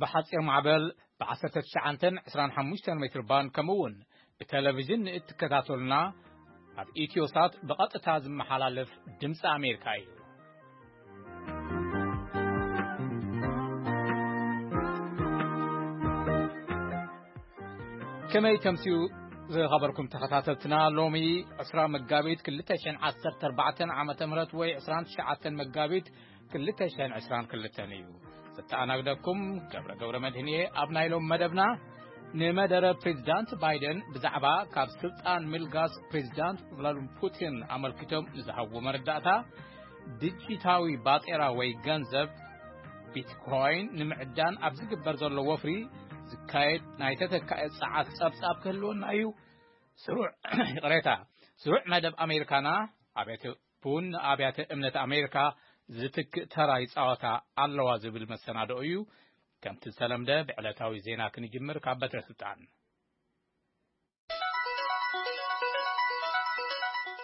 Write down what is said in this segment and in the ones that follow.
ብሓጺር ማዕበል ብ19 25 ሜትር ባንድ፣ ከምኡ እውን ብቴሌቪዥን ንእትከታተሉና፣ ኣብ ኢትዮሳት ብቐጥታ ዝመሓላለፍ ድምፂ ኣሜሪካ እዩ። ከመይ ተምስዩ ዝኸበርኩም ተኸታተልትና፣ ሎሚ ዕስራ መጋቢት ክልተ ሽሕን ዓሰርተ ኣርባዕተን ዓመተ ምህረት ወይ ዕስራን ትሽዓተን መጋቢት ክልተ ሽሕን ዕስራን ክልተን እዩ። ዘተኣናግደኩም ገብረ ገብረ መድህን እየ። ኣብ ናይ ሎም መደብና፣ ንመደረ ፕሬዚዳንት ባይደን ብዛዕባ ካብ ስልጣን ምልጋስ ፕሬዚዳንት ቭላድሚር ፑቲን ኣመልኪቶም ንዝሃብዎ መረዳእታ፣ ዲጂታዊ ባጤራ ወይ ገንዘብ ቢትኮይን ንምዕዳን ኣብ ዝግበር ዘሎ ወፍሪ ዝካየድ ናይ ተተካኢ ጸዓት ጸብጻብ ክህልወና እዩ። ስሩዕ፣ ይቕሬታ፣ ስሩዕ መደብ ኣሜሪካና፣ ኣብያተ ቡን ንኣብያተ እምነት ኣሜሪካ ዝትክእ ተራ ይጻወታ ኣለዋ ዝብል መሰናድኦ እዩ። ከምቲ ዝተለምደ ብዕለታዊ ዜና ክንጅምር ካብ በትረ ስልጣን።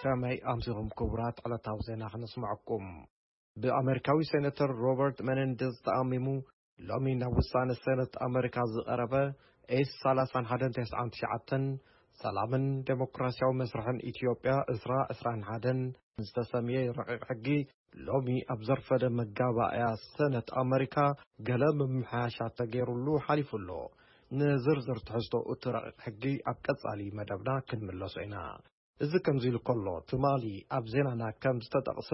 ከመይ ኣምሲኹም ክቡራት? ዕለታዊ ዜና ክነስምዐኩም። ብኣመሪካዊ ሴኔተር ሮበርት መነንደዝ ተኣሚሙ ሎሚ ናብ ውሳነ ሴኔት ኣመሪካ ዝቐረበ ኤስ ሰላሳን ሓደን ተስዓን ትሽዓተን፣ ሰላምን ዴሞክራሲያዊ መስርሕን ኢትዮጵያ ዕስራ ዕስራን ሓደን ዝተሰምየ ረቂቕ ሕጊ፣ ሎሚ ኣብ ዘርፈደ መጋባእያ ሴኔት ኣመሪካ ገለ ምምሕያሻት ተገይሩሉ ሓሊፉ ኣሎ። ንዝርዝር ትሕዝቶ እቲ ረቂቕ ሕጊ ኣብ ቀጻሊ መደብና ክንምለሶ ኢና። እዚ ከምዚ ኢሉ ከሎ፣ ትማሊ ኣብ ዜናና ከም ዝተጠቕሰ፣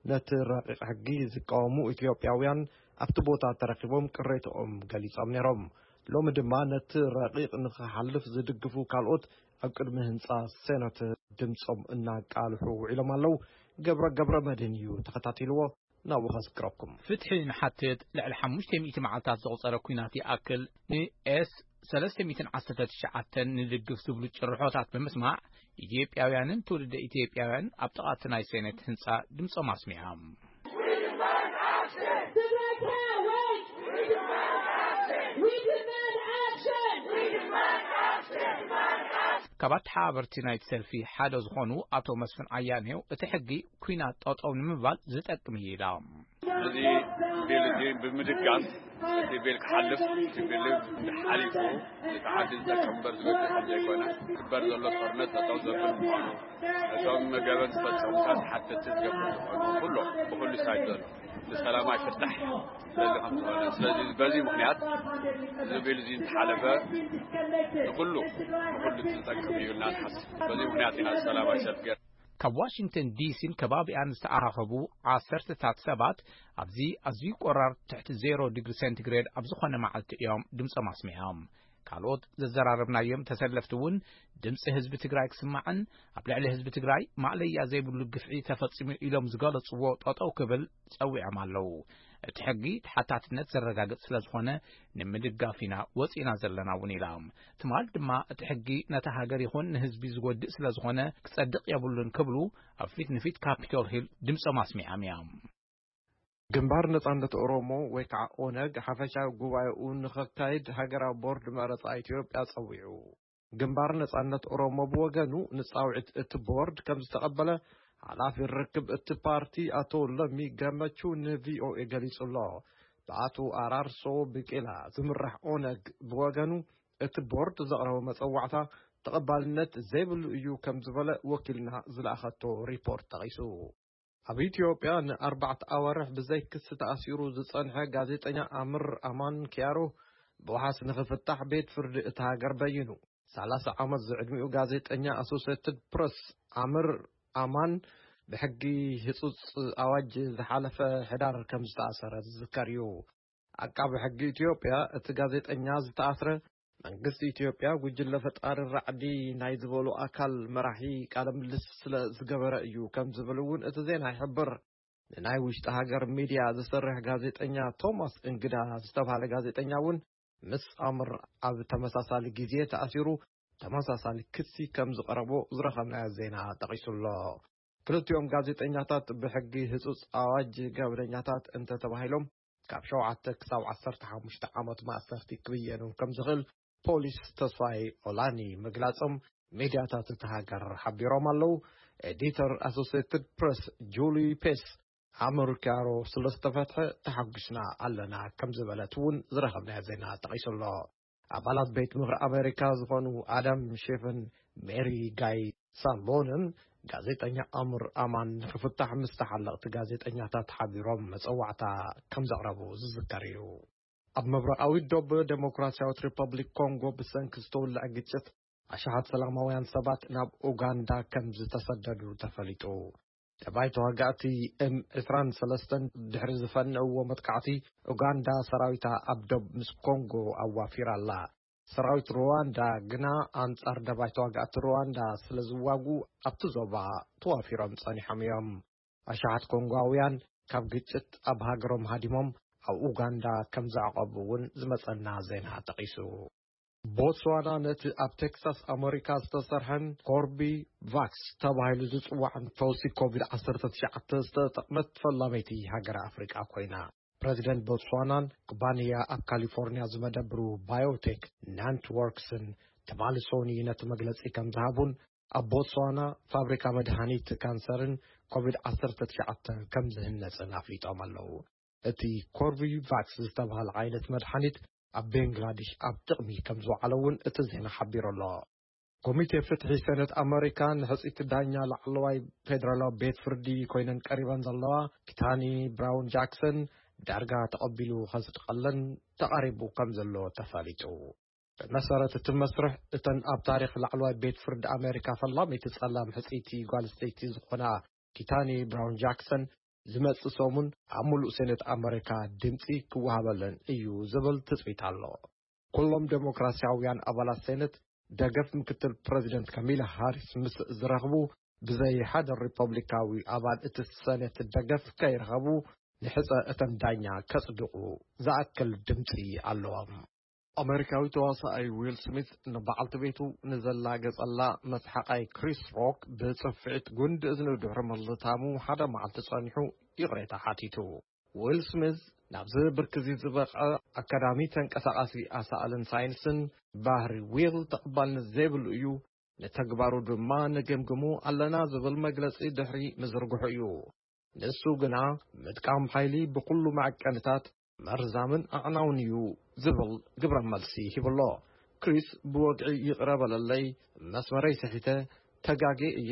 ነቲ ረቂቕ ሕጊ ዝቃወሙ ኢትዮጵያውያን ኣብቲ ቦታ ተረኺቦም ቅሬትኦም ገሊጾም ነይሮም። ሎሚ ድማ ነቲ ረቂቕ ንኽሓልፍ ዝድግፉ ካልኦት ኣብ ቅድሚ ህንጻ ሴኔት ድምጾም እናቃልሑ ውዒሎም ኣለዉ። ገብረ ገብረ መድህን እዩ ተኸታቲልዎ። ናብኡ ከዝክረኩም። ፍትሒ ንሓትት። ልዕሊ ሓሙሽተ ሚእቲ መዓልታት ዘቑጸረ ኲናት ይኣክል ንኤስ ሰለስተ ሚእትን ዓሰርተ ትሽዓተን ንድግፍ ዝብሉ ጭርሖታት ብምስማዕ፣ ኢትዮጵያውያንን ትውልደ ኢትዮጵያውያን ኣብ ጥቓ እቲ ናይ ሴኔት ህንጻ ድምጾም ኣስሚዖም። ካብ ኣተሓባበርቲ ናይቲ ሰልፊ ሓደ ዝኾኑ ኣቶ መስፍን ኣያኔው፣ እቲ ሕጊ ኲናት ጠጠው ንምባል ዝጠቅም እዩ ኢሎም። እዚ ቢል እዚ ብምድጋፍ፣ እቲ ቢል ክሓልፍ፣ እቲ ቢል ሓሊፉ፣ እቲ ዓዲ ዝጠቅም እምበር ዝጎድእ ከም ዘይኮነ፣ ክግበር ዘሎ ጦርነት ጠጠው ዘብል ምዃኑ፣ እቶም ገበን ዝፈጸሙታት ሓተቲ ዝገብር ዝኾኑ፣ ኩሎም ብኹሉ ሳይድ ዘሎ ብሰላማዊ ፍታሕ ስለዚ ከም ዝኾነ፣ ስለዚ በዚ ምኽንያት እዚ ቢል እዚ እንተሓለፈ ንኹሉ፣ ንኹሉ ዝጠቅም እዩ ኢልና ንሓስብ። በዚ ምኽንያት ኢና ሰላማዊ ሰልፊ ገይርና። ካብ ዋሽንግተን ዲሲን ከባቢኣን ዝተኣኻኸቡ ዓሰርተታት ሰባት ኣብዚ ኣዝዩ ቆራር ትሕቲ ዜሮ ዲግሪ ሴንቲግሬድ ኣብ ዝኾነ መዓልቲ እዮም ድምጾም ኣስሚዖም። ካልኦት ዘዘራረብናዮም ተሰለፍቲ እውን ድምፂ ህዝቢ ትግራይ ክስማዕን ኣብ ልዕሊ ህዝቢ ትግራይ ማእለያ ዘይብሉ ግፍዒ ተፈፂሙ ኢሎም ዝገለፅዎ ጠጠው ክብል ጸዊዖም ኣለዉ። እቲ ሕጊ ተሓታትነት ዘረጋግጽ ስለ ዝኾነ ንምድጋፍ ኢና ወፂና ዘለና እውን ኢላ። ትማል ድማ እቲ ሕጊ ነታ ሃገር ይኹን ንህዝቢ ዝጎድእ ስለ ዝኾነ ክጸድቕ የብሉን ክብሉ ኣብ ፊት ንፊት ካፒቶል ሂል ድምጾም ኣስሚዖም እዮም። ግንባር ነጻነት ኦሮሞ ወይ ከዓ ኦነግ ሓፈሻዊ ጉባኤኡ ንኸካይድ ሃገራዊ ቦርድ መረጻ ኢትዮጵያ ጸዊዑ። ግንባር ነጻነት ኦሮሞ ብወገኑ ንጻውዒት እቲ ቦርድ ከም ዝተቐበለ ሓላፊ ርክብ እቲ ፓርቲ ኣቶ ለሚ ገመቹ ንቪኦኤ ገሊጹ ኣሎ። ብኣቶ ኣራርሶ ብቄላ ዝምራሕ ኦነግ ብወገኑ እቲ ቦርድ ዘቕረቦ መጸዋዕታ ተቐባልነት ዘይብሉ እዩ ከም ዝበለ ወኪልና ዝለኣኸቶ ሪፖርት ጠቒሱ። ኣብ ኢትዮጵያ ንኣርባዕተ ኣዋርሕ ብዘይ ክሲ ተኣሲሩ ዝጸንሐ ጋዜጠኛ ኣምር ኣማን ኪያሮ ብዋሕስ ንኽፍታሕ ቤት ፍርዲ እታ ሃገር በይኑ። ሰላሳ ዓመት ዝዕድሚኡ ጋዜጠኛ ኣሶሴትድ ፕረስ ኣምር ኣማን ብሕጊ ህጹጽ ኣዋጅ ዝሓለፈ ሕዳር ከም ዝተኣሰረ ዝዝከር እዩ። ዓቃቢ ሕጊ ኢትዮጵያ እቲ ጋዜጠኛ ዝተኣስረ መንግስቲ ኢትዮጵያ ጉጅለ ፈጣሪ ራዕዲ ናይ ዝበሉ ኣካል መራሒ ቃለ ምልልስ ስለ ዝገበረ እዩ ከም ዝብል እውን እቲ ዜና ይሕብር። ንናይ ውሽጢ ሃገር ሚድያ ዝሰርሕ ጋዜጠኛ ቶማስ እንግዳ ዝተባህለ ጋዜጠኛ እውን ምስ ኣምር ኣብ ተመሳሳሊ ግዜ ተኣሲሩ ተመሳሳሊ ክሲ ከም ዝቐረቦ ዝረኸብናዮ ዜና ጠቒሱ ኣሎ። ክልቲኦም ጋዜጠኛታት ብሕጊ ህጹጽ ኣዋጅ ገበነኛታት እንተተባሂሎም ካብ ሸውዓተ ክሳብ ዓሰርተ ሓሙሽተ ዓመት ማእሰርቲ ክብየኑ ከም ዝኽእል ፖሊስ ተስፋይ ኦላኒ ምግላጾም ሚድያታት እታ ሃገር ሓቢሮም ኣለዉ። ኤዲተር ኣሶሴትድ ፕረስ ጁሊ ፔስ ኣመሪካሮ ስለ ዝተፈትሐ ተሓጒስና ኣለና ከም ዝበለት እውን ዝረኸብናዮ ዜና ጠቒሱ ኣሎ። ኣባላት ቤት ምኽሪ ኣሜሪካ ዝኾኑ ኣዳም ሼፍን ሜሪ ጋይ ሳሎንን ጋዜጠኛ ኣምር ኣማን ንክፍታሕ ምስ ተሓለቕቲ ጋዜጠኛታት ሓቢሮም መጸዋዕታ ከም ዘቕረቡ ዝዝከር እዩ። ኣብ ምብራቓዊ ዶብ ዴሞክራሲያዊት ሪፐብሊክ ኮንጎ ብሰንኪ ዝተወልዐ ግጭት ኣሽሓት ሰላማውያን ሰባት ናብ ኡጋንዳ ከም ዝተሰደዱ ተፈሊጡ። ጠባይ ተዋጋእቲ ኤም ዕስራን ሰለስተን ድሕሪ ዝፈነእዎ መጥቃዕቲ፣ ኡጋንዳ ሰራዊታ ኣብ ዶብ ምስ ኮንጎ ኣዋፊራ ኣላ። ሰራዊት ሩዋንዳ ግና ኣንጻር ደባይ ተዋጋእቲ ሩዋንዳ ስለ ዝዋጉ ኣብቲ ዞባ ተዋፊሮም ጸኒሖም እዮም። ኣሽሓት ኮንጓውያን ካብ ግጭት ኣብ ሃገሮም ሃዲሞም ኣብ ኡጋንዳ ከም ዘዕቆቡ እውን ዝመጸና ዜና ጠቒሱ። ቦትስዋና ነቲ ኣብ ቴክሳስ ኣመሪካ ዝተሰርሐን ኮርቢ ቫክስ ተባሂሉ ዝጽዋዕን ፈውሲ ኮቪድ ዓሰርተ ትሽዓተ ዝተጠቕመት ፈላመይቲ ሃገር ኣፍሪቃ ኮይና። ፕረዚደንት ቦትስዋናን ኩባንያ ኣብ ካሊፎርኒያ ዝመደብሩ ባዮቴክ ናንትወርክስን ትማሊ ሶኒ ነቲ መግለጺ ከም ዝሃቡን ኣብ ቦትስዋና ፋብሪካ መድሃኒት ካንሰርን ኮቪድ ዓሰርተ ትሽዓተ ከም ዝህነጽን ኣፍሊጦም ኣለዉ። እቲ ኮርቢቫክስ ዝተባህለ ዓይነት መድሓኒት ኣብ ቤንግላዴሽ ኣብ ጥቕሚ ከም ዝወዓለ እውን እቲ ዜና ሓቢሩ ኣሎ። ኮሚቴ ፍትሒ ሰነት ኣመሪካ ንሕጽይቲ ዳኛ ላዕለዋይ ፌደራላዊ ቤት ፍርዲ ኮይነን ቀሪበን ዘለዋ ኪታኒ ብራውን ጃክሰን ዳርጋ ተቐቢሉ ከጽድቐለን ተቓሪቡ ከም ዘሎ ተፈሊጡ። ብመሰረት እቲ መስርሕ፣ እተን ኣብ ታሪኽ ላዕለዋይ ቤት ፍርዲ ኣሜሪካ ፈላመይቲ ጸላም ሕጽይቲ ጓል ኣንስተይቲ ዝኾና ኪታኒ ብራውን ጃክሰን ዝመጽእ ሰሙን ኣብ ሙሉእ ሴኔት ኣመሪካ ድምጺ ክወሃበለን እዩ ዝብል ትጽቢት ኣሎ። ኩሎም ዴሞክራሲያውያን ኣባላት ሴኔት ደገፍ ምክትል ፕረዚደንት ካሚላ ሃሪስ ምስ ዝረኽቡ፣ ብዘይ ሓደ ሪፐብሊካዊ ኣባል እቲ ሰኔት ደገፍ ከይረኸቡ፣ ንሕጸ እተን ዳኛ ከጽድቑ ዝኣክል ድምጺ ኣለዎም። ኣመሪካዊ ተዋሳኣይ ዊል ስሚት ንበዓልቲ ቤቱ ንዘላገጸላ መስሓቓይ ክሪስ ሮክ ብጽፍዒት ጉንዲ እዝኑ ድሕሪ ምልታሙ ሓደ መዓልቲ ጸኒሑ ይቕሬታ ሓቲቱ። ዊል ስሚዝ ናብዚ ብርኪ እዚ ዝበቕዐ ኣካዳሚ ተንቀሳቓሲ ኣሳእልን ሳይንስን፣ ባህሪ ዊል ተቐባልነት ዘይብሉ እዩ፣ ንተግባሩ ድማ ንግምግሙ ኣለና ዝብል መግለጺ ድሕሪ ምዝርግሑ እዩ። ንሱ ግና ምጥቃም ሓይሊ ብኹሉ መዐቀንታት መርዛምን ኣዕናውን እዩ ዝብል ግብረ መልሲ ሂብሎ። ክሪስ ብወግዒ ይቕረ በለለይ፣ መስመረይ ስሒተ፣ ተጋጌ እየ፣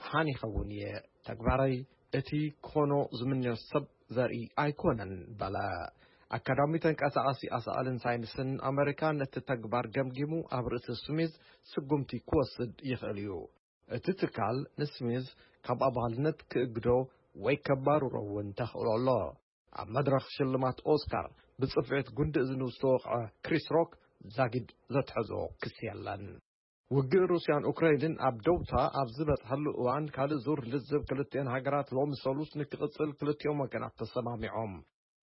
ሓኒኸ እውን እየ። ተግባረይ እቲ ክኾኖ ዝምንዮ ሰብ ዘርኢ ኣይኮነን በለ። ኣካዳሚ ተንቀሳቓሲ ኣሳእልን ሳይንስን ኣመሪካ ነቲ ተግባር ገምጊሙ ኣብ ርእሲ ስሚዝ ስጉምቲ ክወስድ ይኽእል እዩ። እቲ ትካል ንስሚዝ ካብ ኣባልነት ክእግዶ ወይ ከባርሮ እውን ተኽእሎ ኣሎ። ኣብ መድረኽ ሽልማት ኦስካር ብጽፍዒት ጉንዲ እዝኑ ዝተወቕዐ ክሪስ ሮክ ዛጊድ ዘትሐዞ ክሲ የለን። ውግእ ሩስያን ኡክራይንን ኣብ ደውታ ኣብ ዝበጽሐሉ እዋን፣ ካልእ ዙር ልዝብ ክልቲኤን ሃገራት ሎሚ ሰሉስ ንክቕጽል ክልቲኦም ወገናት ተሰማሚዖም።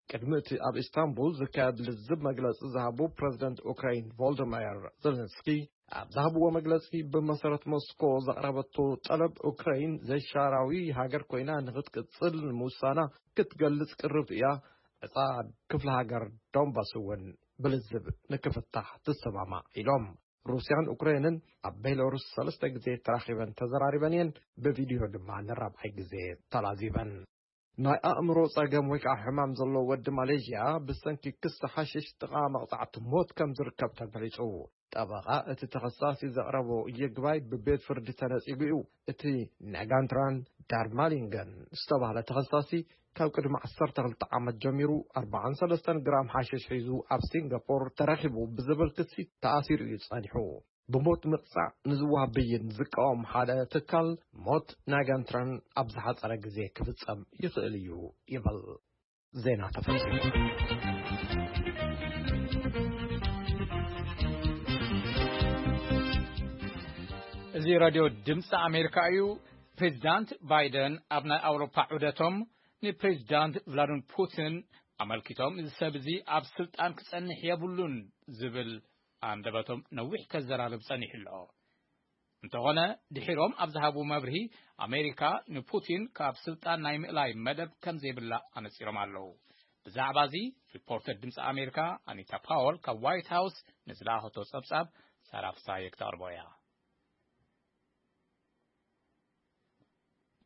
ቅድሚ እቲ ኣብ ኢስታንቡል ዝካየድ ልዝብ መግለጺ ዝሃቡ ፕረዚደንት ኡክራይን ቮልደማየር ዘለንስኪ ኣብ ዝሃብዎ መግለጺ፣ ብመሰረት ሞስኮ ዘቕረበቶ ጠለብ፣ ኡክራይን ዘይሻራዊ ሃገር ኮይና ንክትቅጽል ንምውሳና ክትገልጽ ቅርብቲ እያ። ዕጻ ክፍለ ሃገር ዶንባስ እውን ብልዝብ ንክፍታሕ ትሰማማዕ ኢሎም። ሩስያን ኡክራይንን ኣብ ቤላሩስ ሰለስተ ግዜ ተራኺበን ተዘራሪበን እየን። ብቪድዮ ድማ ንራብዓይ ግዜ ተላዚበን። ናይ ኣእምሮ ጸገም ወይ ከዓ ሕማም ዘለዎ ወዲ ማሌዥያ ብሰንኪ ክሲ ሓሽሽ ጥቓ መቕጻዕቲ ሞት ከም ዝርከብ ተገሊጹ። ጠበቓ እቲ ተኸሳሲ ዘቕረቦ ይግባይ ብቤት ፍርዲ ተነጺጉ እዩ። እቲ ናጋንትራን ዳርማሊንገን ዝተባህለ ተኸሳሲ ካብ ቅድሚ ዓሰርተ ክልተ ዓመት ጀሚሩ ኣርባዓን ሰለስተን ግራም ሓሽሽ ሒዙ ኣብ ሲንጋፖር ተረኺቡ ብዝብል ክሲ ተኣሲሩ እዩ ጸኒሑ። ብሞት ምቕጻዕ ንዝወሃብ ብይን ዝቃወም ሓደ ትካል፣ ሞት ናጋንትራን ኣብ ዝሓጸረ ግዜ ክፍጸም ይኽእል እዩ ይብል። ዜና ተፈጺሙ። እዚ ራድዮ ድምፂ ኣሜሪካ እዩ። ፕሬዚዳንት ባይደን ኣብ ናይ ኣውሮፓ ዑደቶም ንፕሬዚዳንት ቭላድሚር ፑቲን ኣመልኪቶም፣ እዚ ሰብ እዚ ኣብ ስልጣን ክጸንሕ የብሉን ዝብል ኣንደበቶም ነዊሕ ከዘራርብ ጸኒሑ ኣሎ። እንተኾነ፣ ድሒሮም ኣብ ዝሃብዎ መብርሂ፣ ኣሜሪካ ንፑቲን ካብ ስልጣን ናይ ምእላይ መደብ ከም ዘይብላ ኣነጺሮም ኣለዉ። ብዛዕባ እዚ፣ ሪፖርተር ድምፂ ኣሜሪካ ኣኒታ ፓወል ካብ ዋይት ሃውስ ንዝለኣኸቶ ጸብጻብ ሳራ ፍሳሃየ ክተቕርቦ እያ።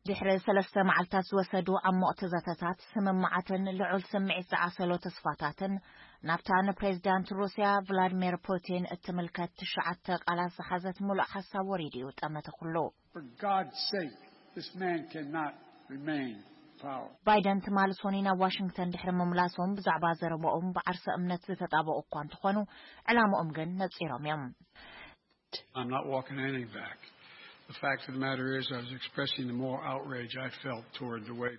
ድሕሪ ሰለስተ መዓልታት ዝወሰዱ ዓሞቕቲ ዘተታት፣ ስምምዓትን ልዑል ስምዒት ዝዓሰሎ ተስፋታትን፣ ናብታ ንፕሬዚዳንት ሩስያ ቭላድሚር ፑቲን እትምልከት ትሽዓተ ቃላት ዝሓዘት ምሉእ ሓሳብ ወሪዱ እዩ ጠመተ ኩሉ። For God's sake, this man cannot remain in power. ባይደን ትማሊ ሶኒ ናብ ዋሽንግተን ድሕሪ ምምላሶም፣ ብዛዕባ ዘረባኦም ብዓርሰ እምነት ዝተጣበቑ እኳ እንተኾኑ፣ ዕላምኦም ግን ነጺሮም እዮም። I'm not walking anything back. The fact of the matter is, I was expressing the moral outrage I felt toward the way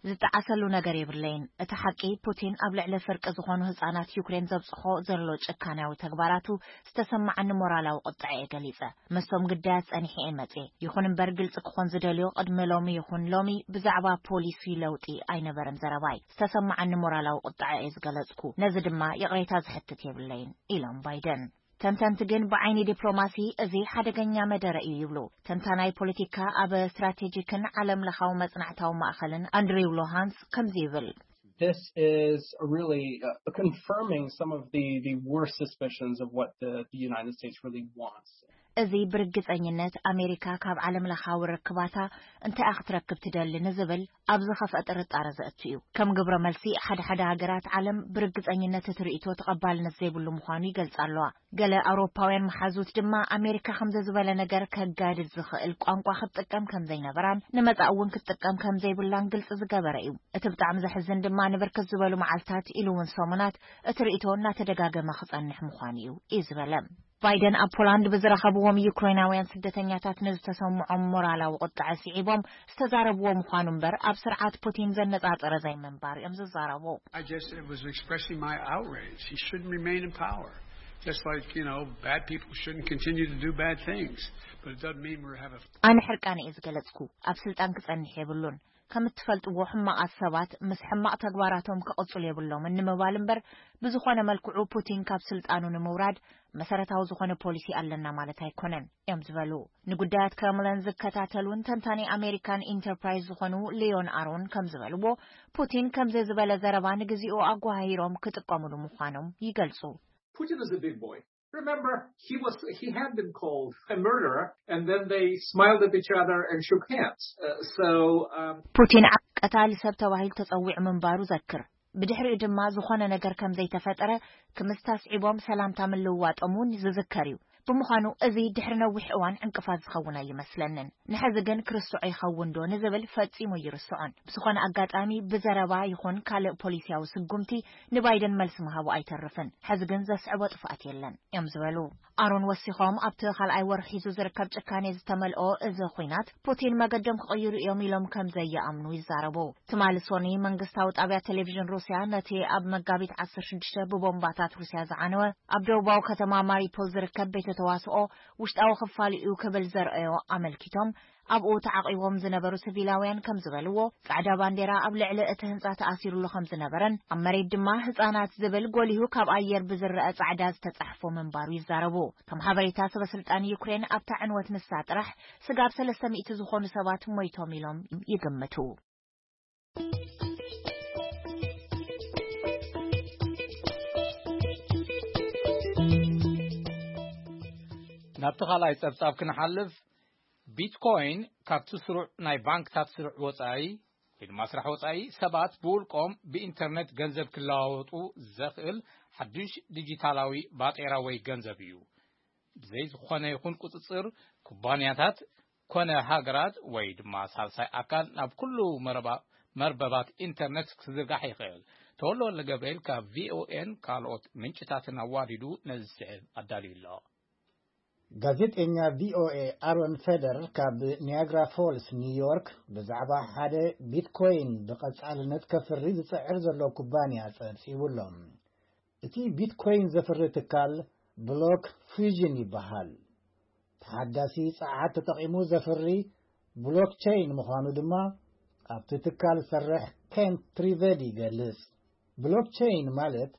ዝጠዓሰሉ ነገር የብለይን። እቲ ሓቂ፣ ፑቲን ኣብ ልዕሊ ፍርቂ ዝኾኑ ህጻናት ዩክሬን ዘብጽሖ ዘሎ ጭካንያዊ ተግባራቱ ዝተሰማዓኒ ሞራላዊ ቁጥዐ እየ ገሊጸ። ምስቶም ግዳያት ጸኒሐ እየ መጽየ። ይኹን እምበር፣ ግልጺ ክኾን ዝደልዮ፣ ቅድሚ ሎሚ ይኹን ሎሚ ብዛዕባ ፖሊሲ ለውጢ ኣይነበረን ዘረባይ። ዝተሰማዓኒ ሞራላዊ ቁጥዐ እየ ዝገለጽኩ። ነዚ ድማ ይቕሬታ ዝሕትት የብለይን፣ ኢሎም ባይደን። ተንተንቲ ግን፣ ብዓይኒ ዲፕሎማሲ እዚ ሓደገኛ መደረ እዩ ይብሉ። ተንታናይ ፖለቲካ፣ ኣብ ስትራቴጂክን ዓለም ለኻዊ መጽናዕታዊ ማእኸልን ኣንድሪው ሎሃንስ ከምዚ ይብል። This is really uh, confirming some of the, the worst suspicions of what the, the United States really wants. እዚ ብርግጸኝነት ኣሜሪካ ካብ ዓለም ለኻዊ ርክባታ እንታይ ክትረክብ ትደሊ ንዝብል ኣብ ዝኸፍአ ጥርጣረ ዘእቱ እዩ። ከም ግብረ መልሲ፣ ሓደ ሓደ ሃገራት ዓለም ብርግጸኝነት እቲ ርእይቶ ተቐባልነት ዘይብሉ ምዃኑ ይገልጻ ኣለዋ። ገለ ኣውሮፓውያን መሓዙት ድማ፣ ኣሜሪካ ከምዚ ዝበለ ነገር ከጋድድ ዝኽእል ቋንቋ ክትጥቀም ከም ዘይነበራን ንመጻኢ እውን ክትጥቀም ከም ዘይብላን ግልጺ ዝገበረ እዩ። እቲ ብጣዕሚ ዘሕዝን ድማ፣ ንብርክት ዝበሉ መዓልታት ኢሉ እውን ሰሙናት እቲ ርእይቶ እናተደጋገመ ክጸንሕ ምዃኑ እዩ፣ እዩ ዝበለ። ባይደን ኣብ ፖላንድ ብዝረኸብዎም ዩክሬናውያን ስደተኛታት ንዝተሰምዖም ሞራላዊ ቁጥዐ ስዒቦም ዝተዛረብዎ ምዃኑ እምበር፣ ኣብ ስርዓት ፑቲን ዘነጻጸረ ዘይምንባር እዮም ዝዛረቡ። I just was expressing my outrage. He shouldn't remain in power. Just like, you know, bad people shouldn't continue to do bad things. But it doesn't mean we have a ኣነ ሕርቃነ እየ ዝገለጽኩ። ኣብ ስልጣን ክጸንሕ የብሉን። ከም እትፈልጥዎ፣ ሕማቓት ሰባት ምስ ሕማቕ ተግባራቶም ክቕጽሉ የብሎምን ንምባል እምበር፣ ብዝኾነ መልክዑ ፑቲን ካብ ስልጣኑ ንምውራድ መሰረታዊ ዝኾነ ፖሊሲ ኣለና ማለት ኣይኮነን እዮም ዝበሉ። ንጉዳያት ክረምለን ዝከታተሉን ተንታኒ ኣሜሪካን ኢንተርፕራይዝ ዝኾኑ ሊዮን ኣሮን ከም ዝበልዎ፣ ፑቲን ከምዚ ዝበለ ዘረባ ንግዚኡ ኣጓሃሂሮም ክጥቀሙሉ ምዃኖም ይገልጹ። Putin is a big boy. Remember, he was he had been called a murderer, and then they smiled at each other and shook hands. Uh, so um, ፑቲን ዓ- ቀታሊ ሰብ ተባሂሉ ተጸዊዑ ምንባሩ ዘክር። ብድሕሪኡ ድማ ዝኾነ ነገር ከም ዘይተፈጠረ ክምስታ ስዒቦም ሰላምታ ምልውዋጦም እውን ዝዝከር እዩ። ብምዃኑ፣ እዚ ድሕሪ ነዊሕ እዋን ዕንቅፋት ዝኸውን ኣይመስለንን። ንሕዚ ግን ክርስዖ ይኸውን ዶ ንዝብል ፈጺሙ ኣይርስዖን። ብዝኾነ ኣጋጣሚ፣ ብዘረባ ይኹን ካልእ ፖሊሲያዊ ስጉምቲ ንባይደን መልሲ ምሃቡ ኣይተርፍን። ሕዚ ግን ዘስዕቦ ጥፍኣት የለን እዮም ዝበሉ ኣሮን። ወሲኾም፣ ኣብቲ ካልኣይ ወርሒ ሒዙ ዝርከብ ጭካኔ ዝተመልኦ እዚ ኹናት፣ ፑቲን መገዶም ክቕይሩ እዮም ኢሎም ከም ዘይኣምኑ ይዛረቡ። ትማሊ ሶኒ፣ መንግስታዊ ጣብያ ቴሌቪዥን ሩስያ ነቲ ኣብ መጋቢት ዓሰርተ ሽዱሽተ ብቦምባታት ሩስያ ዝዓነወ ኣብ ደቡባዊ ከተማ ማሪፖል ዝርከብ ቤተ ተዋስኦ ውሽጣዊ ክፋል እዩ ክብል ዘርኣዮ ኣመልኪቶም፣ ኣብኡ ተዓቒቦም ዝነበሩ ሲቪላውያን ከም ዝበልዎ፣ ጻዕዳ ባንዴራ ኣብ ልዕሊ እቲ ህንጻ ተኣሲሩሉ ከም ዝነበረን ኣብ መሬት ድማ ህጻናት ዝብል ጎሊሁ ካብ ኣየር ብዝረአ ጻዕዳ ዝተጻሕፎ ምንባሩ ይዛረቡ። ከም ሓበሬታ ሰበ ስልጣን ዩክሬን፣ ኣብታ ዕንወት ንሳ ጥራሕ ስጋብ ሰለስተ ሚእቲ ዝኾኑ ሰባት ሞይቶም ኢሎም ይግምቱ። ናብቲ ካልኣይ ጸብጻብ ክንሓልፍ፣ ቢትኮይን ካብቲ ስሩዕ ናይ ባንክታት ስሩዕ ወጻኢ ወይ ድማ ስራሕ ወጻኢ፣ ሰባት ብውልቆም ብኢንተርነት ገንዘብ ክለዋወጡ ዘኽእል ሓድሽ ዲጂታላዊ ባጤራ ወይ ገንዘብ እዩ። ብዘይ ዝኾነ ይኹን ቁጽጽር፣ ኩባንያታት ኮነ ሃገራት ወይ ድማ ሳልሳይ ኣካል ናብ ኩሉ መረባ-፣ መርበባት ኢንተርነት ክዝርጋሕ ይኽእል። ተወልደ ወልደ ገብርኤል ካብ ቪኦኤን ካልኦት ምንጭታትን ኣዋዲዱ ነዚ ዝስዕብ ኣዳልዩ ኣሎ። ጋዜጠኛ ቪኦኤ ኣሮን ፌደር ካብ ኒያግራ ፎልስ ኒውዮርክ ብዛዕባ ሓደ ቢትኮይን ብቐጻልነት ከፍሪ ዝጽዕር ዘሎ ኩባንያ ጸብጺቡ ኣሎ። እቲ ቢትኮይን ዘፍሪ ትካል ብሎክ ፊውዥን ይበሃል። ተሓዳሲ ጸዓት ተጠቒሙ ዘፍሪ ብሎክቸይን ምዃኑ ድማ ኣብቲ ትካል ዝሰርሕ ኬንት ትሪቨዲ ይገልጽ። ብሎክቸይን ማለት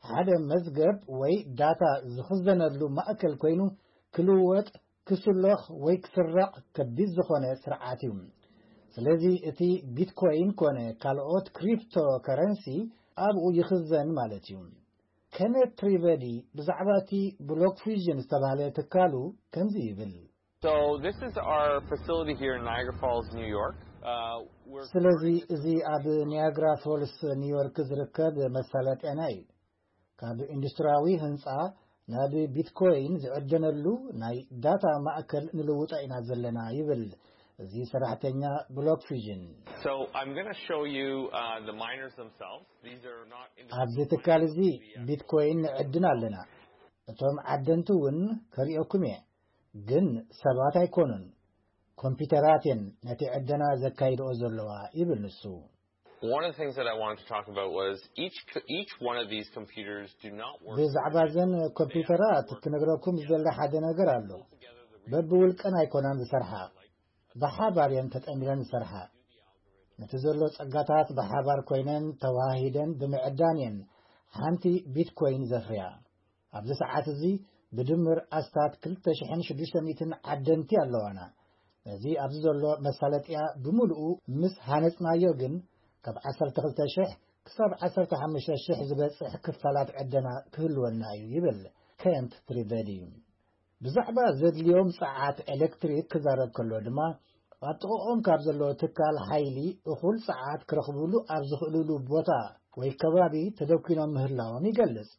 ሓደ መዝገብ ወይ ዳታ ዝኽዘነሉ ማእከል ኮይኑ፣ ክልወጥ፣ ክስሎኽ ወይ ክስረቕ ከቢድ ዝኾነ ስርዓት እዩ። ስለዚ እቲ ቢትኮይን ኮነ ካልኦት ክሪፕቶ ከረንሲ ኣብኡ ይኽዘን ማለት እዩ። ኬኔት ትሪቨዲ ብዛዕባ እቲ ብሎክ ፊውዥን ዝተባህለ ትካሉ ከምዚ ይብል። So this is our facility here in Niagara Falls, New York. ስለዚ እዚ ኣብ ኒያግራ ፎልስ ኒውዮርክ ዝርከብ መሳለጥያና እዩ። ካብ ኢንዱስትሪያዊ ህንፃ ናብ ቢትኮይን ዝዕደነሉ ናይ ዳታ ማእከል ንልውጦ ኢና ዘለና ይብል እዚ ሰራሕተኛ ብሎክ ፊዥን። So I'm going to show you uh, the miners themselves. These are not ኣብዚ ትካል እዚ ቢትኮይን ንዕድን ኣለና። እቶም ዓደንቲ እውን ከርእየኩም እየ፣ ግን ሰባት ኣይኮኑን፣ ኮምፒውተራት እየን ነቲ ዕደና ዘካይድኦ ዘለዋ ይብል ንሱ። One of the things that I wanted to talk about was each each one of these computers do not work. ብዛዕባ ዘን ኮምፒውተራት ክነግረኩም ዝደሊ ሓደ ነገር ኣሎ። በብውልቀን ኣይኮናን ዝሰርሓ፣ ብሓባር እየን ተጠሚረን ዝሰርሓ። ነቲ ዘሎ ጸጋታት ብሓባር ኮይነን ተዋሂደን ብምዕዳን እየን ሓንቲ ቢትኮይን ዘፍርያ። ኣብዚ ሰዓት እዚ ብድምር ኣስታት ክልተ ሽሕን ሽዱሽተ ሚእትን ዓደንቲ ኣለዋና። ነዚ ኣብዚ ዘሎ መሳለጥያ ብምሉኡ ምስ ሃነጽናዮ ግን ካብ ዓሰርተ ክልተ ሽሕ ክሳብ ዓሰርተ ሓሙሽተ ሽሕ ዝበጽሕ ክፋላት ዕደና ክህልወና እዩ ይብል ከንት ትሪቨዲ። ብዛዕባ ዘድልዮም ጸዓት ኤሌክትሪክ ክዛረብ ከሎ ድማ ኣብ ጥቕኦም ካብ ዘሎ ትካል ሓይሊ እኹል ጸዓት ክረኽብሉ ኣብ ዝኽእልሉ ቦታ ወይ ከባቢ ተደኪኖም ምህላዎም ይገልጽ።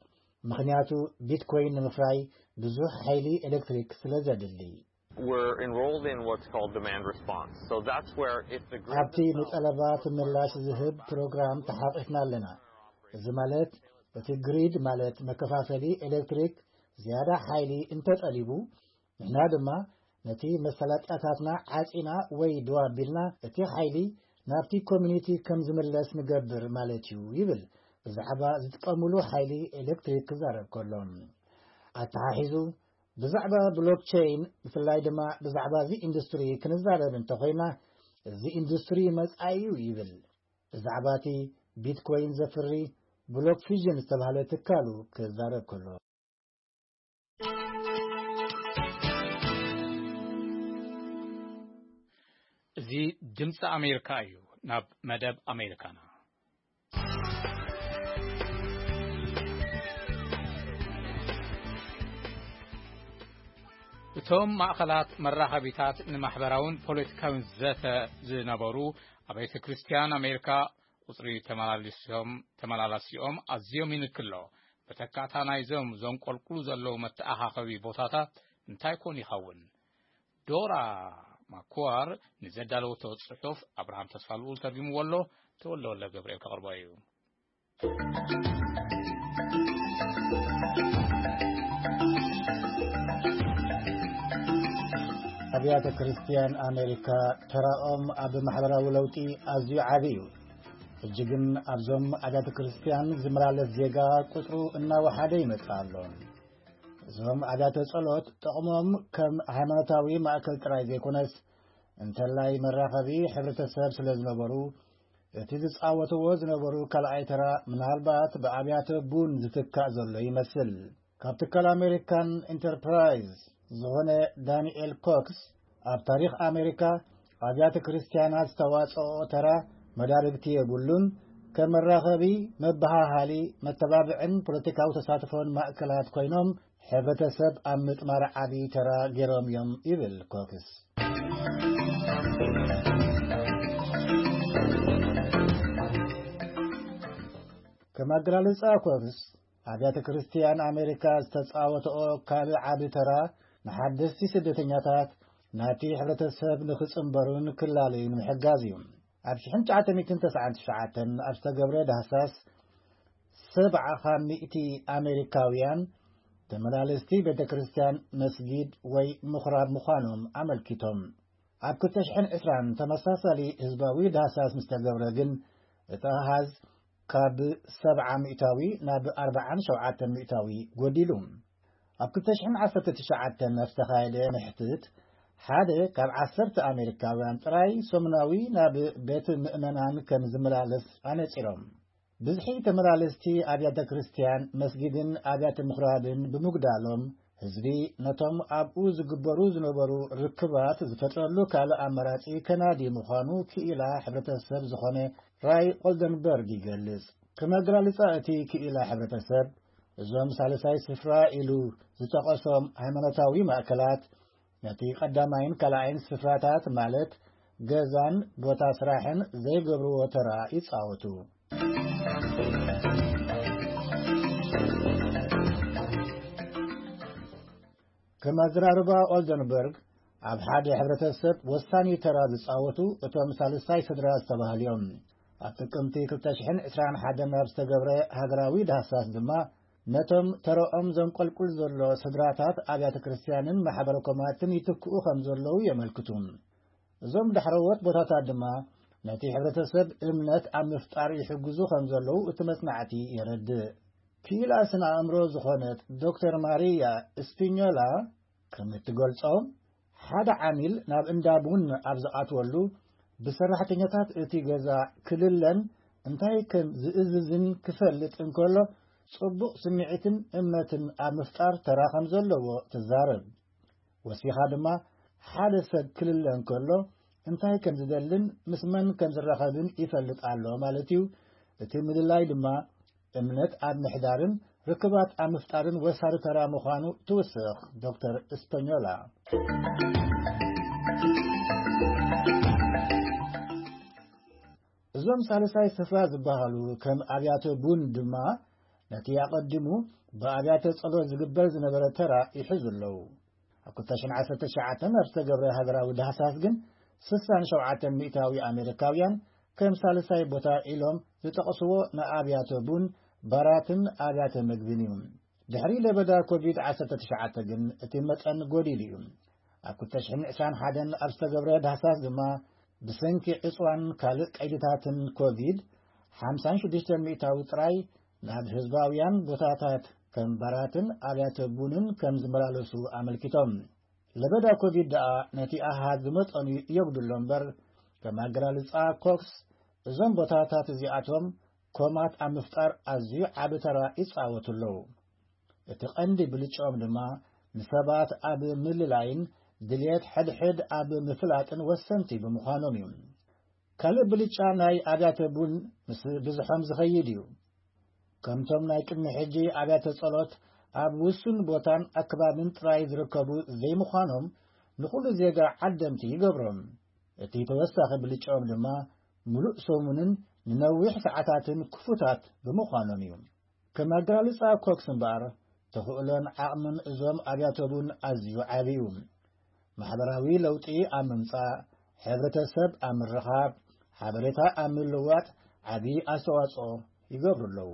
ምኽንያቱ ቢትኮይን ንምፍራይ ብዙሕ ሓይሊ ኤሌክትሪክ ስለ ዘድሊ። We're enrolled in what's called demand response. So that's where if the grid ኣብቲ ንጠለባት ምላሽ ዝህብ ፕሮግራም ተሓቒፍና ኣለና። እዚ ማለት እቲ ግሪድ ማለት መከፋፈሊ ኤሌክትሪክ ዝያዳ ሓይሊ እንተጠሊቡ፣ ንሕና ድማ ነቲ መሳለጥያታትና ዓጺና ወይ ደው ኣቢልና እቲ ሓይሊ ናብቲ ኮሚኒቲ ከም ዝምለስ ንገብር ማለት እዩ ይብል ብዛዕባ ዝጥቀምሉ ሓይሊ ኤሌክትሪክ ክዛረብ ከሎ። ኣተሓሒዙ ብዛዕባ ብሎክቸይን ብፍላይ ድማ ብዛዕባ እዚ ኢንዱስትሪ ክንዛረብ እንተኾይና፣ እዚ ኢንዱስትሪ መጻኢ እዩ ይብል። ብዛዕባ እቲ ቢትኮይን ዘፍሪ ብሎክ ፊዥን ዝተባህለ ትካሉ ክዛረብ ከሎ። እዚ ድምፂ ኣሜሪካ እዩ። ናብ መደብ ኣሜሪካና። እቶም ማእኸላት መራኸቢታት ንማሕበራውን ፖለቲካውን ዘተ ዝነበሩ ኣቤተ ክርስቲያን ኣሜሪካ ቁፅሪ ተመላልሶም ተመላላሲኦም ኣዝዮም ይንክሎ። መተካእታ ናይዞም ዘንቆልቁሉ ዘለዉ መተኣኻኸቢ ቦታታት እንታይ ኮን ይኸውን? ዶራ ማኩዋር ንዘዳለወቶ ጽሑፍ ኣብርሃም ተስፋልኡል ተርጊምዎ ኣሎ። ተወልደ ወልደ ገብርኤል ከቕርቦ እዩ። ኣብያተ ክርስቲያን ኣሜሪካ ተራኦም ኣብ ማሕበራዊ ለውጢ ኣዝዩ ዓቢ እዩ። ሕጂ ግን ኣብዞም ኣብያተ ክርስቲያን ዝመላለስ ዜጋ ቁጽሩ እናወሓደ ይመጽእ ኣሎ። እዞም ኣብያተ ጸሎት ጥቕሞም ከም ሃይማኖታዊ ማእከል ጥራይ ዘይኮነስ፣ እንተላይ መራኸቢ ሕብረተሰብ ስለ ዝነበሩ፣ እቲ ዝጻወትዎ ዝነበሩ ካልኣይ ተራ ምናልባት ብኣብያተ ቡን ዝትካእ ዘሎ ይመስል። ካብ ትካል ኣሜሪካን ኢንተርፕራይዝ ዝኾነ ዳንኤል ኮክስ፣ ኣብ ታሪኽ ኣሜሪካ ኣብያተ ክርስቲያናት ዝተዋጽኦ ተራ መዳርግቲ የብሉን። ከም መራኸቢ፣ መበሃሃሊ፣ መተባብዕን ፖለቲካዊ ተሳትፎን ማእከላት ኮይኖም፣ ሕብረተሰብ ኣብ ምጥማር ዓቢ ተራ ገይሮም እዮም ይብል ኮክስ። ከም ኣገላልጻ ኮክስ፣ ኣብያተ ክርስቲያን ኣሜሪካ ዝተጻወተኦ ካልእ ዓቢ ተራ ንሓደስቲ ስደተኛታት ናብቲ ሕብረተሰብ ንኽጽንበሩን ክላለዩን ምሕጋዝ እዩ። ኣብ ሽሕን ትሽዓተ ሚእትን ተስዓን ትሽዓተን ኣብ ዝተገብረ ዳህሳስ፣ ሰብዓ ካብ ሚእቲ ኣሜሪካውያን ተመላለስቲ ቤተ ክርስቲያን፣ መስጊድ ወይ ምኹራብ ምዃኖም ኣመልኪቶም። ኣብ ክልተ ሽሕን ዕስራን ተመሳሳሊ ህዝባዊ ዳህሳስ ምስ ተገብረ ግን፣ እቲ ኣሃዝ ካብ ሰብዓ ሚእታዊ ናብ ኣርብዓን ሸውዓተን ሚእታዊ ጎዲሉ። ኣብ ክልተ ሽሕን ዓሰርተ ትሽዓተን ኣብ ዝተኻየደ ምሕትት፣ ሓደ ካብ ዓሰርተ ኣሜሪካውያን ጥራይ ሰሙናዊ ናብ ቤት ምእመናን ከም ዝመላለስ ኣነጺሮም። ብዝሒ ተመላለስቲ ኣብያተ ክርስቲያን፣ መስጊድን ኣብያተ ምኹራብን ብምጉዳሎም፣ ህዝቢ ነቶም ኣብኡ ዝግበሩ ዝነበሩ ርክባት ዝፈጥረሉ ካልእ ኣማራጺ ከናዲ ምዃኑ ክኢላ ሕብረተሰብ ዝኾነ ራይ ኦልደንበርግ ይገልጽ። ከም ኣገላልጻ እቲ ክኢላ ሕብረተሰብ፣ እዞም ሳልሳይ ስፍራ ኢሉ ዝጠቐሶም ሃይማኖታዊ ማእከላት፣ ነቲ ቀዳማይን ካልኣይን ስፍራታት፣ ማለት ገዛን ቦታ ስራሕን ዘይገብርዎ ተራ ይጻወቱ። ከም ኣዘራርባ ኦልደንበርግ፣ ኣብ ሓደ ሕብረተሰብ ወሳኒ ተራ ዝጻወቱ እቶም ሳልሳይ ስድራ ዝተባህሉ እዮም። ኣብ ጥቅምቲ ክልተ ሽሕን ዕስራን ሓደን ኣብ ዝተገብረ ሃገራዊ ዳህሳስ ድማ፣ ነቶም ተረኦም ዘንቆልቁል ዘሎ ስድራታት ኣብያተ ክርስቲያንን ማሕበረ ኮማትን ይትክኡ ከም ዘለዉ የመልክቱ። እዞም ዳሕረዎት ቦታታት ድማ ነቲ ሕብረተሰብ እምነት ኣብ ምፍጣር ይሕግዙ ከም ዘለዉ እቲ መጽናዕቲ የረድእ። ክኢላ ስነ ኣእምሮ ዝኾነት ዶክተር ማሪያ ስፒኞላ ከም እትገልጾ፣ ሓደ ዓሚል ናብ እንዳ ቡን ኣብ ዝኣትወሉ፣ ብሰራሕተኛታት እቲ ገዛ ክልለን እንታይ ከም ዝእዝዝን ክፈልጥ እንከሎ፣ ጽቡቕ ስምዒትን እምነትን ኣብ ምፍጣር ተራ ከም ዘለዎ ትዛረብ። ወሲኻ ድማ፣ ሓደ ሰብ ክልለ እንከሎ እንታይ ከም ዝደልን ምስ መን ከም ዝራኸብን ይፈልጥ ኣሎ ማለት እዩ። እቲ ምልላይ ድማ እምነት ኣብ ምሕዳርን ርክባት ኣብ ምፍጣርን ወሳኒ ተራ ምዃኑ ትውስኽ ዶክተር እስፐኞላ። እዞም ሳልሳይ ስፍራ ዝበሃሉ ከም ኣብያተ ቡን ድማ ነቲ ኣቐዲሙ ብኣብያተ ጸሎት ዝግበር ዝነበረ ተራ ይሕዙ ኣለዉ። ኣብ ክልተ ሽሕን ዓሰርተ ትሽዓተን ኣብ ዝተገብረ ሃገራዊ ዳህሳስ ግን ስሳን ሸውዓተን ሚእታዊ ኣሜሪካውያን ከም ሳልሳይ ቦታ ኢሎም ዝጠቕስዎ ንኣብያተ ቡን፣ ባራትን ኣብያተ መግብን እዩ። ድሕሪ ለበዳ ኮቪድ ዓሰርተ ትሽዓተ ግን እቲ መጠን ጎዲሉ እዩ። ኣብ ክልተ ሽሕን ዕስራን ሓደን ኣብ ዝተገብረ ዳህሳስ ድማ ብሰንኪ ዕጽዋን ካልእ ቀይድታትን ኮቪድ ሓምሳን ሽዱሽተን ሚእታዊ ጥራይ ናብ ህዝባውያን ቦታታት ከም ባራትን ኣብያተ ቡንን ከም ዝመላለሱ ኣመልኪቶም። ለበዳ ኮቪድ ደኣ ነቲ ኣሃዝ ብመጠኑ የጉድሎ እምበር፣ ከም ኣገላልጻ ኮክስ፣ እዞም ቦታታት እዚኣቶም ኮማት ኣብ ምፍጣር ኣዝዩ ዓቢ ተራ ይጻወቱ ኣለዉ። እቲ ቀንዲ ብልጫኦም ድማ ንሰባት ኣብ ምልላይን ድልየት ሕድሕድ ኣብ ምፍላጥን ወሰንቲ ብምዃኖም እዩ። ካልእ ብልጫ ናይ ኣብያተ ቡን ምስ ብዝሖም ዝኸይድ እዩ። ከምቶም ናይ ቅድሚ ሕጂ ኣብያተ ጸሎት ኣብ ውሱን ቦታን ኣከባብን ጥራይ ዝርከቡ ዘይምዃኖም ንኹሉ ዜጋ ዓደምቲ ይገብሮም። እቲ ተወሳኺ ብልጫኦም ድማ ምሉእ ሰሙንን ንነዊሕ ሰዓታትን ክፉታት ብምዃኖም እዩ። ከም ኣገላልጻ ኮክስ እምበኣር፣ ተኽእሎን ዓቕምን እዞም ኣብያተ ቡን ኣዝዩ ዓቢ እዩ። ማሕበራዊ ለውጢ ኣብ ምምጻእ፣ ሕብረተሰብ ኣብ ምርኻብ፣ ሓበሬታ ኣብ ምልዋጥ ዓቢ ኣስተዋጽኦ ይገብሩ ኣለዉ።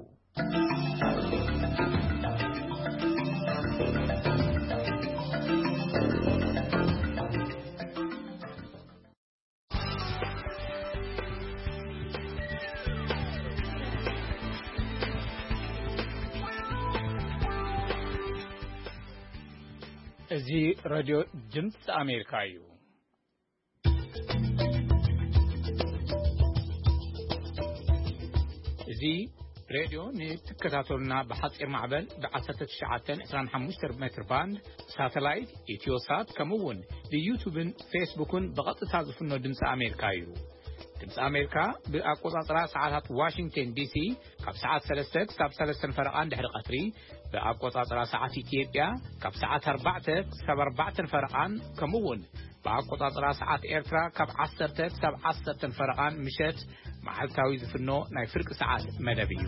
እዚ ሬድዮ ድምፂ ኣሜሪካ እዩ። እዚ ሬድዮ ንትከታተሉና ብሓፂር ማዕበል ብ ዓሰርተ ትሽዓተን ዕስራን ሓሙሽተን ሜትር ባንድ፣ ሳተላይት፣ ኢትዮሳት፣ ከምኡ እውን ብዩቱብን ፌስቡክን ብቐጥታ ዝፍኖ ድምፂ ኣሜሪካ እዩ። ድምፂ ኣሜሪካ ብኣቆፃፅራ ሰዓታት ዋሽንግተን ዲሲ ካብ ሰዓት ሰለስተ ክሳብ ሰለስተን ፈረቓን ድሕሪ ቀትሪ፣ ብኣቆፃፅራ ሰዓት ኢትዮጵያ ካብ ሰዓት ኣርባዕተ ክሳብ ኣርባዕተን ፈረቓን፣ ከምኡ እውን ብኣቆጻጽራ ሰዓት ኤርትራ ካብ ዓሰርተ ክሳብ ዓሰርተን ፈረቓን ምሸት መዓልታዊ ዝፍኖ ናይ ፍርቂ ሰዓት መደብ እዩ።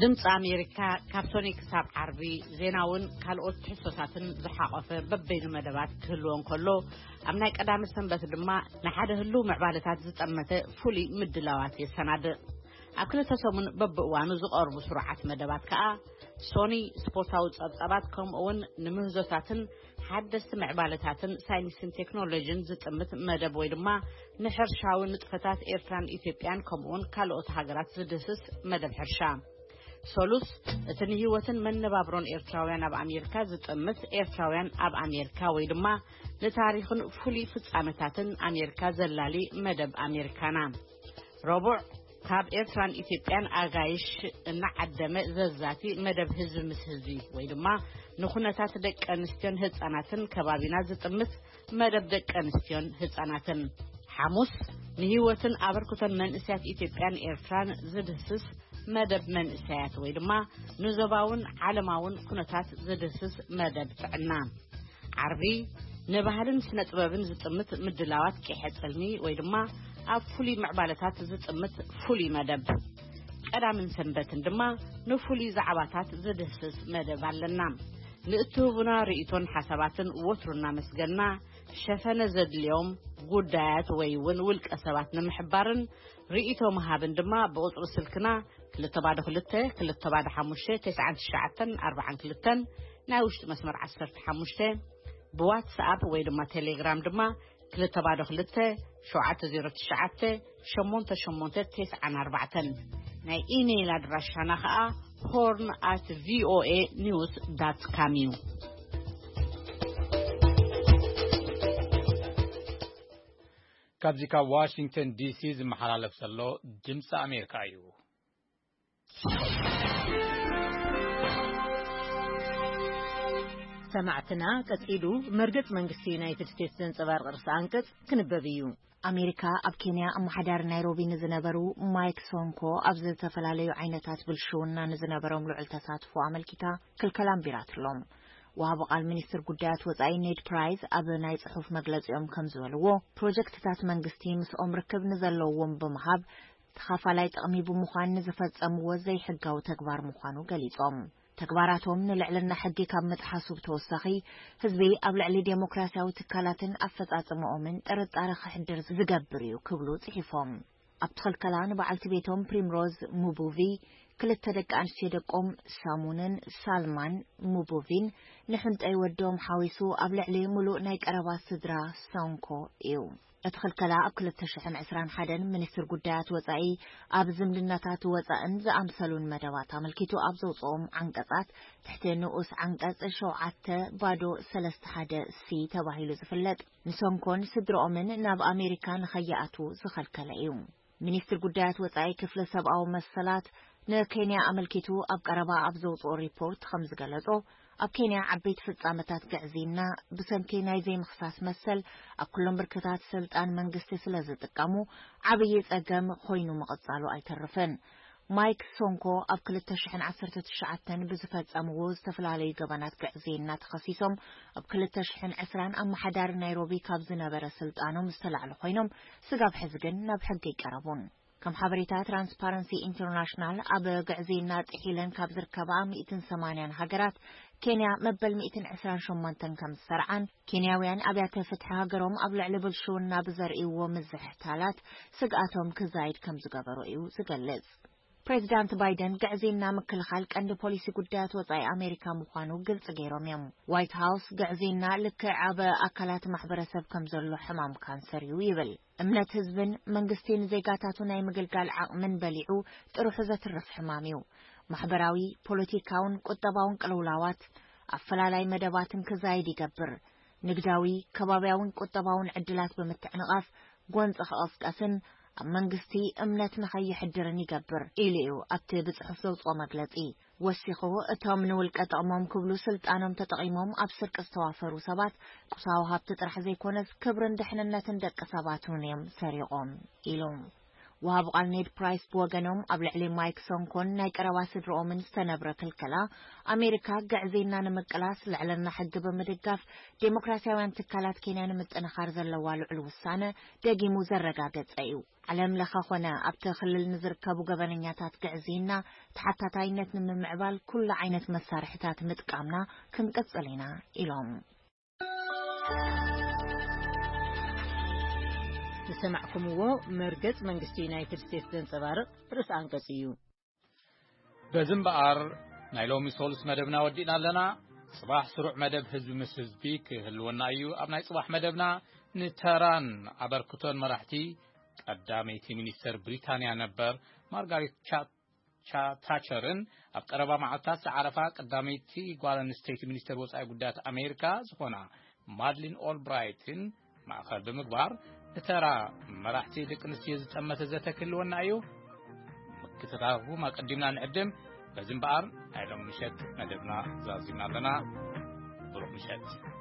ድምፂ ኣሜሪካ ካብ ሶኒ ክሳብ ዓርቢ ዜናውን ካልኦት ትሕዝቶታትን ዝሓቖፈ በበይኑ መደባት ክህልዎ እንከሎ፣ ኣብ ናይ ቀዳመ ሰንበት ድማ ንሓደ ህሉው ምዕባለታት ዝጠመተ ፍሉይ ምድላዋት የሰናድእ። ኣብ ክልተ ሰሙን በብእዋኑ ዝቐርቡ ስሩዓት መደባት ከኣ ሶኒ ስፖርታዊ ጸብጻባት፣ ከምኡ'ውን ንምህዞታትን ሓደስቲ ምዕባለታትን ሳይንስን ቴክኖሎጂን ዝጥምት መደብ ወይ ድማ ንሕርሻዊ ንጥፈታት ኤርትራን ኢትዮጵያን ከምኡ'ውን ካልኦት ሃገራት ዝድህስስ መደብ ሕርሻ። ሶሉስ፣ እቲ ንህይወትን መነባብሮን ኤርትራውያን ኣብ ኣሜሪካ ዝጥምት ኤርትራውያን ኣብ ኣሜሪካ ወይ ድማ ንታሪኽን ፍሉይ ፍጻመታትን ኣሜሪካ ዘላሊ መደብ ኣሜሪካና። ረቡዕ፣ ካብ ኤርትራን ኢትዮጵያን ኣጋይሽ እናዓደመ ዘዛቲ መደብ ህዝቢ ምስ ህዝቢ ወይ ድማ ንኩነታት ደቂ ኣንስትዮን ህጻናትን ከባቢና ዝጥምት መደብ ደቂ ኣንስትዮን ህጻናትን። ሓሙስ፣ ንህይወትን ኣበርክቶን መንእሰያት ኢትዮጵያን ኤርትራን ዝድህስስ መደብ መንእሰያት ወይ ድማ ንዞባውን ዓለማውን ኩነታት ዝድህስስ መደብ ጥዕና። ዓርቢ ንባህልን ስነ ጥበብን ዝጥምት ምድላዋት ቂሐ ጽልሚ ወይ ድማ ኣብ ፍሉይ ምዕባለታት ዝጥምት ፍሉይ መደብ። ቀዳምን ሰንበትን ድማ ንፍሉይ ዛዕባታት ዝድህስስ መደብ ኣለና። ንእትህቡና ርእይቶን ሓሳባትን ወትሩ እናመስገና፣ ሸፈነ ዘድልዮም ጉዳያት ወይ እውን ውልቀ ሰባት ንምሕባርን ርእይቶ ምሃብን ድማ ብቁጽሪ ስልክና ክልተ ባዶ ክልተ፣ ክልተ ባዶ ሓሙሽተ፣ ተስዓን ትሽዓተን ኣርባዓን ክልተን፣ ናይ ውሽጢ መስመር ዓሰርተ ሓሙሽተ፣ ብዋትስኣፕ ወይ ድማ ቴሌግራም ድማ ክልተ ባዶ ክልተ፣ ሸውዓተ ዜሮ ትሽዓተ፣ ሸሞንተ ሸሞንተ ተስዓን ኣርባዕተን። ናይ ኢሜይል ኣድራሻና ኸኣ ሆርን ኣት ቪኦኤ ኒውስ ዳት ካም እዩ። ካብዚ ካብ ዋሽንግተን ዲሲ ዝመሓላለፍ ዘሎ ድምፂ ኣሜሪካ እዩ። ሰማዕትና፣ ቀጺሉ መርገጽ መንግስቲ ዩናይትድ ስቴትስ ዘንጸባርቕ ርእሰ ኣንቀጽ ክንበብ እዩ። ኣሜሪካ ኣብ ኬንያ ኣመሓዳሪ ናይሮቢ ንዝነበሩ ማይክ ሶንኮ ኣብ ዝተፈላለዩ ዓይነታት ብልሽውና ንዝነበሮም ልዑል ተሳትፎ ኣመልኪታ ክልከላ ኣንቢራትሎም። ወሃቢ ቃል ሚኒስትር ጉዳያት ወጻኢ ኔድ ፕራይስ ኣብ ናይ ጽሑፍ መግለጺኦም ከም ዝበልዎ፣ ፕሮጀክትታት መንግስቲ ምስኦም ርክብ ንዘለዎም ብምሃብ ተኻፋላይ ጥቕሚ ብምዃን ንዝፈጸምዎ ዘይሕጋዊ ተግባር ምዃኑ ገሊጾም። ተግባራቶም ንልዕልና ሕጊ ካብ ምጥሓሱ ብተወሳኺ፣ ህዝቢ ኣብ ልዕሊ ዴሞክራሲያዊ ትካላትን ኣፈጻጽምኦምን ጥርጣረ ክሕድር ዝገብር እዩ ክብሉ ጽሒፎም። ኣብቲ ክልከላ ንበዓልቲ ቤቶም ፕሪምሮዝ ሙቡቪ፣ ክልተ ደቂ ኣንስትዮ ደቆም ሳሙንን ሳልማን ሙቡቪን ንሕንጠይ ወዶም ሓዊሱ ኣብ ልዕሊ ምሉእ ናይ ቀረባ ስድራ ሶንኮ እዩ። እቲ ክልከላ ኣብ ክልተ ሽሕን ዕስራን ሓደን ሚኒስትር ጉዳያት ወጻኢ ኣብ ዝምድናታት ወጻእን ዝኣምሰሉን መደባት ኣመልኪቱ ኣብ ዘውጽኦም ዓንቀጻት፣ ትሕቲ ንኡስ ዓንቀጽ ሸውዓተ ባዶ ሰለስተ ሓደ ሲ ተባሂሉ ዝፍለጥ፣ ንሶንኮን ስድርኦምን ናብ ኣሜሪካ ንኸይኣትዉ ዝኸልከለ እዩ። ሚኒስትር ጉዳያት ወጻኢ ክፍሊ ሰብኣዊ መሰላት ንኬንያ ኣመልኪቱ ኣብ ቀረባ ኣብ ዘውጽኦ ሪፖርት ከም ዝገለጾ፣ ኣብ ኬንያ ዓበይቲ ፍጻመታት ግዕዝይና ብሰንኪ ናይ ዘይምኽሳስ መሰል ኣብ ኩሎም ብርክታት ስልጣን መንግስቲ ስለ ዝጥቀሙ ዓብዪ ጸገም ኮይኑ ምቕጻሉ ኣይተርፍን። ማይክ ሶንኮ ኣብ ክልተ ሽሕን ዓሰርተ ትሽዓተን ብዝፈጸምዎ ዝተፈላለዩ ገበናት ግዕዝይና ተኸሲሶም ኣብ ክልተ ሽሕን ዕስራን ኣመሓዳሪ ናይሮቢ ካብ ዝነበረ ስልጣኖም ዝተላዕሉ ኮይኖም፣ ስጋብ ሕዚ ግን ናብ ሕጊ ኣይቀረቡን። ከም ሓበሬታ ትራንስፓረንሲ ኢንተርናሽናል፣ ኣብ ግዕዝይና ጥሒለን ካብ ዝርከባ ሚእትን ሰማንያን ሃገራት፣ ኬንያ መበል ሚእትን ዕስራን ሸሞንተን ከም ዝሰርዓን፣ ኬንያውያን ኣብያተ ፍትሒ ሃገሮም ኣብ ልዕሊ ብልሽውና ብዘርእይዎ ምዝሕታላት ስግኣቶም ክዛይድ ከም ዝገበሮ እዩ ዝገልጽ። ፕሬዚዳንት ባይደን ግዕዝይና ምክልኻል ቀንዲ ፖሊሲ ጉዳያት ወጻኢ ኣሜሪካ ምዃኑ ግልጽ ገይሮም እዮም። ዋይት ሃውስ ግዕዝይና ልክዕ ኣብ ኣካላት ማሕበረሰብ ከም ዘሎ ሕማም ካንሰር እዩ ይብል። እምነት ህዝብን መንግስቲ ንዜጋታቱ ናይ ምግልጋል ዓቕምን በሊዑ ጥርሑ ዘትርፍ ሕማም እዩ። ማሕበራዊ፣ ፖለቲካውን ቁጠባውን ቅልውላዋት፣ ኣፈላላይ መደባትን ክዛይድ ይገብር። ንግዳዊ፣ ከባብያውን ቁጠባውን ዕድላት ብምትዕንቓፍ ጎንፂ ክቐስቀስን ኣብ መንግስቲ እምነት ንኸይሕድርን ይገብር ኢሉ እዩ ኣብቲ ብጽሑፍ ዘውፅኦ መግለጺ። ወሲኹ፣ እቶም ንውልቀ ጥቕሞም ክብሉ ስልጣኖም ተጠቒሞም ኣብ ስርቂ ዝተዋፈሩ ሰባት ቁሳዊ ሃብቲ ጥራሕ ዘይኮነስ ክብርን ድሕንነትን ደቂ ሰባት እውን እዮም ሰሪቖም ኢሉ። ወሃቢ ቃል ኔድ ፕራይስ ብወገኖም፣ ኣብ ልዕሊ ማይክ ሶንኮን ናይ ቀረባ ስድርኦምን ዝተነብረ ክልከላ፣ ኣሜሪካ ግዕዝይና ንምቅላስ፣ ልዕልና ሕጊ ብምድጋፍ፣ ዴሞክራሲያውያን ትካላት ኬንያ ንምጥንኻር ዘለዋ ልዑል ውሳነ ደጊሙ ዘረጋገጸ እዩ። ዓለም ለኸ ኾነ ኣብቲ ክልል ንዝርከቡ ገበነኛታት ግዕዝይና ተሓታታይነት ንምምዕባል ኩሉ ዓይነት መሳርሕታት ምጥቃምና ክንቅጽል ኢና ኢሎም። ዝሰማዕኩምዎ መርገጽ መንግስቲ ዩናይትድ ስቴትስ ዘንጸባርቕ ርእሰ ኣንቀጽ እዩ። በዚ እምበኣር ናይ ሎሚ ሶሉስ መደብና ወዲእና ኣለና። ጽባሕ ስሩዕ መደብ ህዝቢ ምስ ህዝቢ ክህልወና እዩ። ኣብ ናይ ጽባሕ መደብና ንተራን ኣበርክቶን መራሕቲ ቀዳመይቲ ሚኒስተር ብሪታንያ ነበር ማርጋሬት ቻ-፣ ቻ-፣ ታቸርን ኣብ ቀረባ መዓልታት ዝዓረፋ ቀዳመይቲ ጓል ኣንስተይቲ ሚኒስተር ወጻኢ ጉዳያት ኣሜሪካ ዝኾና ማድሊን ኦልብራይትን ማእኸል ብምግባር፣ ንተራ መራሕቲ ደቂ ኣንስትዮ ዝጠመተ ዘተ ክህልወና እዩ። ምክትታልኩም ኣቀዲምና ንዕድም። በዚ እምበኣር ናይ ሎም ምሸት መደብና ዛዚምና ኣለና። ብሩኽ ምሸት።